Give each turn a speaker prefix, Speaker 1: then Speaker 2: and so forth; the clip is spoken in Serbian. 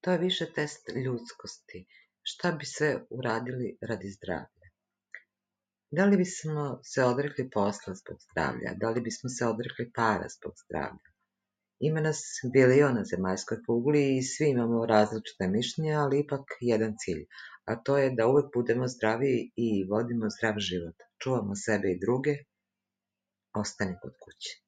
Speaker 1: To je više test ljudskosti. Šta bi sve uradili radi zdravlja? Da li bismo se odrekli posla zbog zdravlja? Da li bismo se odrekli para zbog zdravlja? Ima nas bilion na zemaljskoj kugli i svi imamo različite mišljenja, ali ipak jedan cilj, a to je da uvek budemo zdravi i vodimo zdrav život. Čuvamo sebe i druge, ostani kod kuće.